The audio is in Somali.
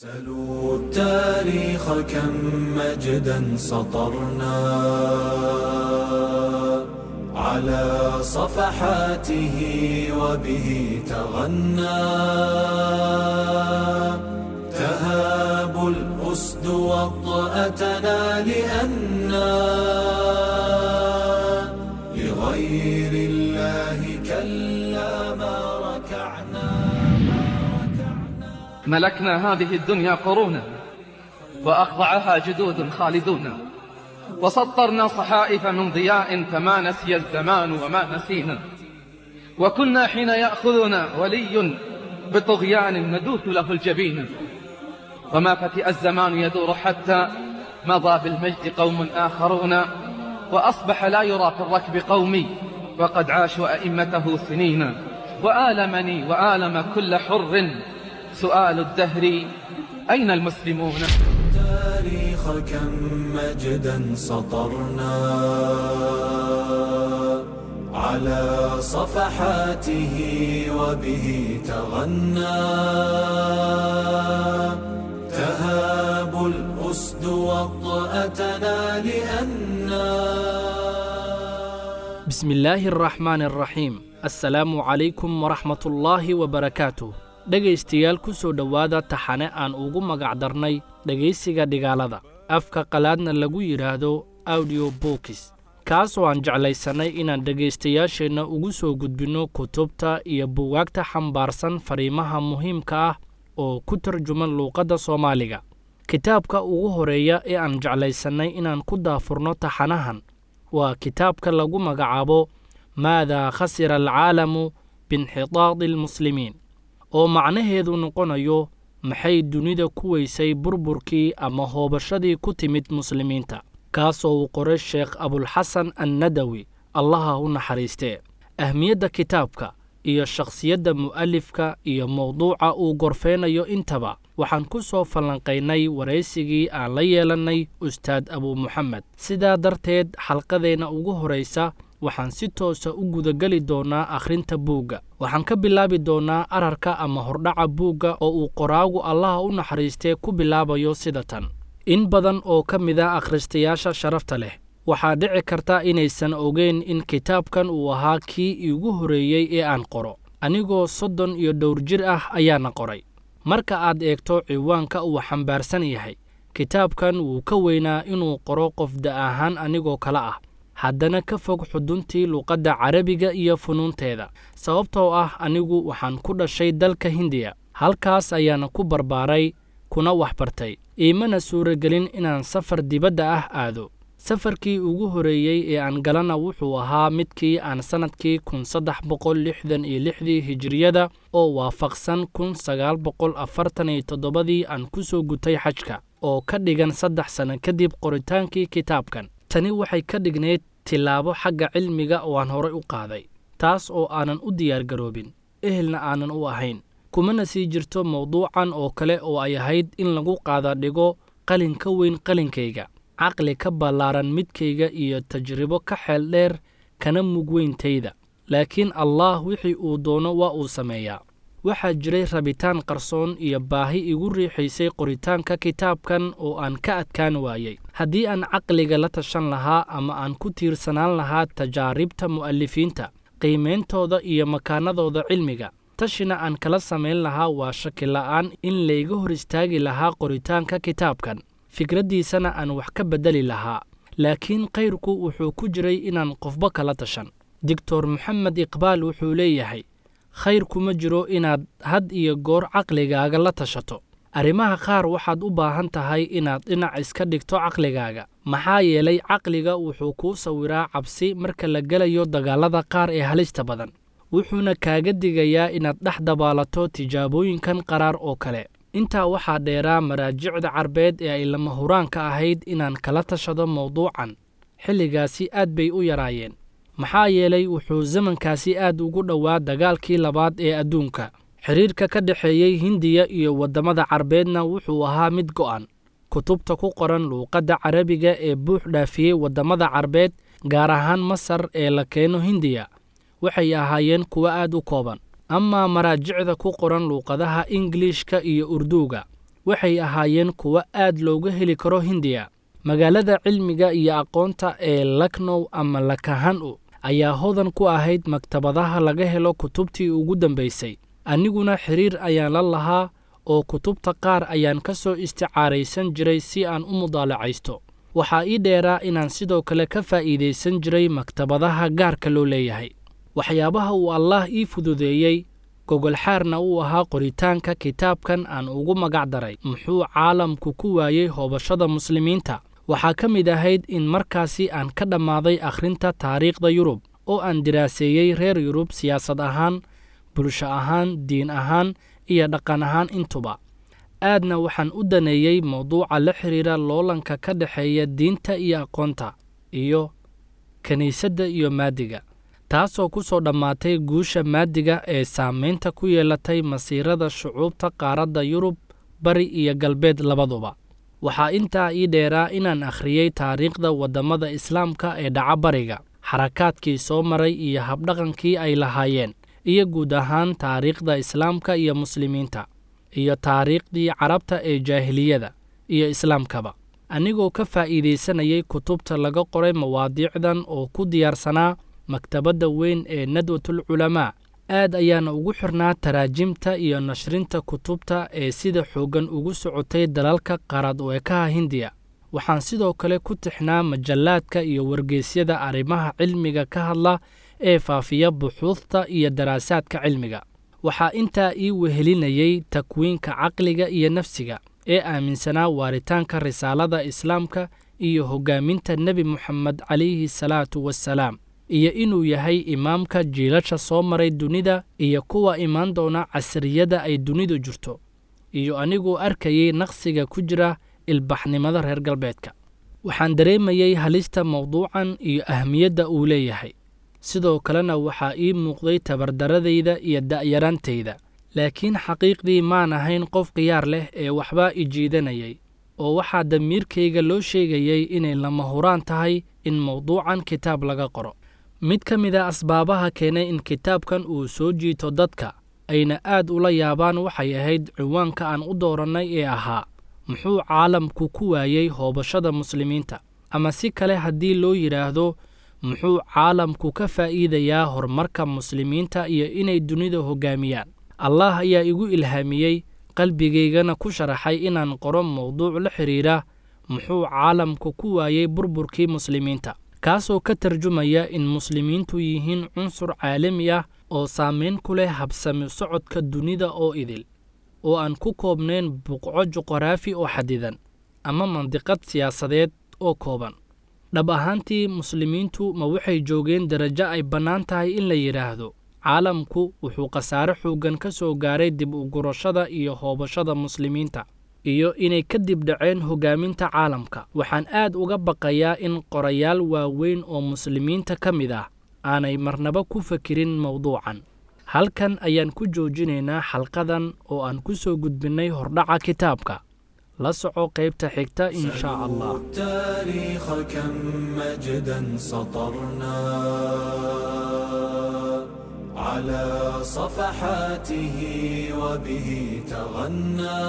سلوا التاريخ كم مجدا سطرنا على صفحاته وبه تغنى تهاب الأسد وطأتنا لأنا لغير الله كلا ما ركعنا. ملكنا هذه الدنيا قرونا وأخضعها جدود خالدون، وسطرنا صحائف من ضياء فما نسي الزمان وما نسينا، وكنا حين يأخذنا ولي بطغيان ندوث له الجبين، وما فتئ الزمان يدور حتى مضى بالمجد قوم آخرون، وأصبح لا يرى في الركب قومي وقد عاشوا أئمته سنين. وآلمني وآلم كل حر سؤال الدهر أين المسلمون؟ التاريخ كم مجدا سطرنا على صفحاته وبه تغنى تهاب الأسد وطأتنا لأنا. بسم الله الرحمن الرحيم. السلام عليكم ورحمة الله وبركاته. Dhegaystayaal, ku soo dhowaada taxane aan ugu magacdarnay dhegaysiga dhigaalada, afka qalaadna lagu yidhaahdo audio books, kaasoo aan jeclaysannay inaan dhegaystayaasheenna ugu soo gudbinno kutubta iyo buugaagta xambaarsan fariimaha muhiimka ah oo ku tarjuman luuqadda Soomaaliga. Kitaabka ugu horeeya ee aan jeclaysannay inaan ku daafurno taxanahan waa kitaabka lagu magacaabo Maadaa khasira alcaalamu biinxitaadi almuslimiin, oo macnaheedu noqonayo maxay dunida ku weysay burburkii ama hoobashadii ku timid muslimiinta, kaasoo uu qoray Sheekh Abulxasan Annadawi, Allaha u naxariistee. Ahmiyadda kitaabka iyo shakhsiyadda mu'alifka iyo mowduuca uu gorfeynayo intaba waxaan ku soo falanqaynay waraysigii aan la yeelannay Ustaad Abuu Muxamed. Sidaa darteed, xalqadeenna ugu horaysa waxaan si toosa u gudageli doonnaa akhrinta buugga. Waxaan ka bilaabi doonnaa ararka ama hordhaca buugga oo uu qoraagu, Allaha u naxariistee, ku bilaabayo sida tan: In badan oo ka mid a akhristayaasha sharafta leh waxaa dhici karta inaysan ogeyn in kitaabkan uu ahaa kii iigu horreeyey ee aan qoro. Anigoo 30 iyo dhowr jir ah ayaana qoray. Marka aad eegto ciwaanka uu xambaarsan yahay kitaabkan, wuu ka weynaa inuu qoro qof da ahaan anigoo kale ah, haddana ka fog xuduntii luuqadda Carabiga iyo funuunteeda, sababtoo ah anigu waxaan ku dhashay dalka Hindiya, halkaas ayaana ku barbaaray kuna waxbartay. Iimana suuragelin inaan safar dibadda ah aado. Safarkii ugu horreeyey ee aan galana wuxuu ahaa midkii aan sannadkii 1366-dii hijiriyada oo waafaqsan 1947-dii aan ku soo gutay xajka, oo ka dhigan 3 sano kadib qoritaankii kitaabkan. Tani waxay ka dhignayd tillaabo xagga cilmiga oo aan horay u qaaday, taas oo aanan u diyaargaroobin, ehelna aanan u ahayn, kumana sii jirto mowduucan oo kale oo ay ahayd in lagu qaada dhigo qalin ka weyn qalinkayga, caqli ka ballaaran midkayga iyo tajribo ka xeel dheer kana mug weyntayda. Laakiin Allaah wixii uu doono waa uu sameeyaa. Waxaa jiray rabitaan qarsoon iyo baahi igu riixaysay qoritaanka kitaabkan oo aan ka adkaan waayey. Haddii aan caqliga la tashan lahaa ama aan ku tiirsanaan lahaa tajaaribta mu'alifiinta, qiimeyntooda iyo makaanadooda cilmiga, tashina aan kala samayn lahaa, waa shaki la'aan in layga hor istaagi lahaa qoritaanka kitaabkan, fikraddiisana aan wax ka beddeli lahaa. Laakiin khayrku wuxuu ku jiray inaan qofba kala tashan. Doctor Moxamed Iqbaal wuxuu leeyahay: "Khayr kuma jiro inaad had iyo goor caqligaaga la tashato. Arrimaha qaar waxaad u baahan tahay inaad dhinac iska dhigto caqligaaga, maxaa yeelay caqliga wuxuu kuu sawiraa cabsi marka la gelayo dagaallada qaar ee halista badan, wuxuuna kaaga digayaa inaad dhex dabaalato tijaabooyinkan qaraar oo kale." Intaa waxaa dheeraa, maraajicda Carbeed ee ay lama huraanka ahayd inaan kala tashado mowduucan xilligaasi aad bay u yaraayeen, maxaa yeelay wuxuu zamankaasi aad ugu dhowaa dagaalkii labaad ee adduunka. Xidhiirka ka dhexeeyey Hindiya iyo waddamada Carbeedna wuxuu ahaa mid go'an. Kutubta ku qoran luuqadda Carabiga ee buux dhaafiyey waddamada Carbeed, gaar ahaan Masar, ee la keeno Hindiya waxay ahaayeen kuwo aad u kooban. Amaa maraajicda ku qoran luuqadaha Ingiliishka iyo Urduuga Waxay ahaayeen kuwo aad looga heli karo Hindiya. Magaalada cilmiga iyo aqoonta ee Laknow ama Lakahanu ayaa hodan ku ahayd maktabadaha laga helo kutubtii ugu dambaysay. Aniguna xiriir ayaan la lahaa oo kutubta qaar ayaan ka soo isticaaraysan jiray si aan u mudaalacaysto. Waxaa ii dheeraa inaan sidoo kale ka faa'iidaysan jiray maktabadaha gaarka loo leeyahay. Waxyaabaha uu Allaah ii fududeeyey, gogolxaarna uu ahaa qoritaanka kitaabkan aan ugu magac daray Muxuu Caalamku ku Waayey Hoobashada Muslimiinta, waxaa ka mid ahayd in markaasi aan ka dhammaaday akhrinta taariikhda Yurub oo aan diraaseeyey reer Yurub siyaasad ahaan, bulsho ahaan, diin ahaan iyo dhaqan ahaan intuba. Aadna waxaan u daneeyey mawduuca la xiriira loolanka ka dhexeeya diinta iyo aqoonta iyo kiniisadda iyo maadiga, taasoo ku soo dhammaatay guusha maadiga ee saamaynta ku yeelatay masiirada shucuubta qaaradda Yurub, bari iyo galbeed labaduba. Waxaa intaa ii dheeraa inaan akhriyey taariikhda waddamada Islaamka ee dhaca bariga, xarakaadkii soo maray iyo habdhaqankii ay lahaayeen, iyo guud ahaan taariikhda Islaamka iyo Muslimiinta, iyo taariikhdii Carabta ee jaahiliyada iyo Islaamkaba. Anigoo ka faa'iidaysanayay kutubta laga qoray mawaadiicdan oo ku diyaarsanaa maktabadda weyn ee Nadwatul Culamaa, aad ayaana ugu xirnaa taraajimta iyo nashrinta kutubta ee sida xooggan ugu socotay dalalka qaarad u ekaha Hindiya. Waxaan sidoo kale ku tixnaa majallaadka iyo wargeysyada arrimaha cilmiga ka hadla ee faafiya buxuuthta iyo daraasaadka cilmiga. Waxaa intaa ii wehelinayay takwiinka caqliga iyo nafsiga ee aaminsanaa waaritaanka risaalada Islaamka iyo hoggaaminta Nebi Muxamed calayhi salaatu wassalaam, iyo inuu yahay imaamka jiilasha soo maray dunida iyo kuwa imaan doona casriyada ay dunidu jirto, iyo anigoo arkayay naqsiga ku jira ilbaxnimada reer galbeedka. Waxaan dareemayey halista mawduucan iyo ahmiyadda uu leeyahay. Sidoo kalena waxaa ii muuqday tabardaradayda iyo da'yaraantayda, laakiin xaqiiqdii maan ahayn qof khiyaar leh ee waxbaa i jiidanayay, oo waxaa damiirkayga loo sheegayay inay lama huraan tahay in mawduucan kitaab laga qoro. Mid ka mid a asbaabaha keenay in kitaabkan uu soo jiito dadka ayna aad ula yaabaan waxay ahayd ciwaanka aan u doorannay ee ahaa Muxuu Caalamku ku Waayey Hoobashada Muslimiinta, ama si kale haddii loo yidhaahdo, muxuu caalamku ka faa'iidayaa horumarka Muslimiinta iyo inay dunida hoggaamiyaan. Allaah ayaa igu ilhaamiyey, qalbigaygana ku sharaxay inaan qoro mawduuc la xidhiidha muxuu caalamku ku waayey burburkii Muslimiinta, kaasoo ka tarjumaya in Muslimiintu yihiin cunsur caalami ah oo saamayn ku leh habsami socodka dunida oo idil, oo aan ku koobnayn buqco juqraafi oo xadidan ama mandiqad siyaasadeed oo kooban. Dhab ahaantii, Muslimiintu ma waxay joogeen darajo ay bannaan tahay in la yidhaahdo caalamku wuxuu khasaare xooggan ka soo gaaray dib u gurashada iyo hoobashada Muslimiinta, iyo inay ka dib dhaceen hoggaaminta caalamka? Waxaan aad uga baqayaa in qorayaal waaweyn oo Muslimiinta ka mid ah aanay marnaba ku fekerin mawduucan. Halkan ayaan ku joojinaynaa xalqadan oo aan ku soo gudbinnay hordhaca kitaabka. La soco qaybta xigta in shaa Allah. التاريخ كم مجدا سطرنا على صفحاته وبه تغنى.